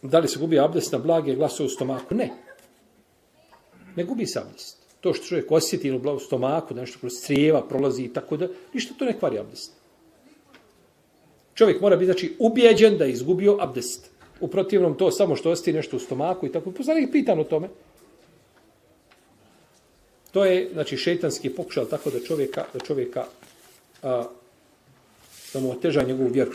Da li se gubi abdest na blage glasove u stomaku? Ne. Ne gubi se abdest. To što čovjek osjeti u stomaku, da nešto kroz crijeva prolazi i tako da, ništa to ne kvari abdest. Čovjek mora biti, znači, ubijeđen da je izgubio abdest. U protivnom to samo što ostaje nešto u stomaku i tako. Poslanik pitan o tome. To je, znači, šejtanski pokušaj tako da čovjeka da mu oteža njegovu vjeru.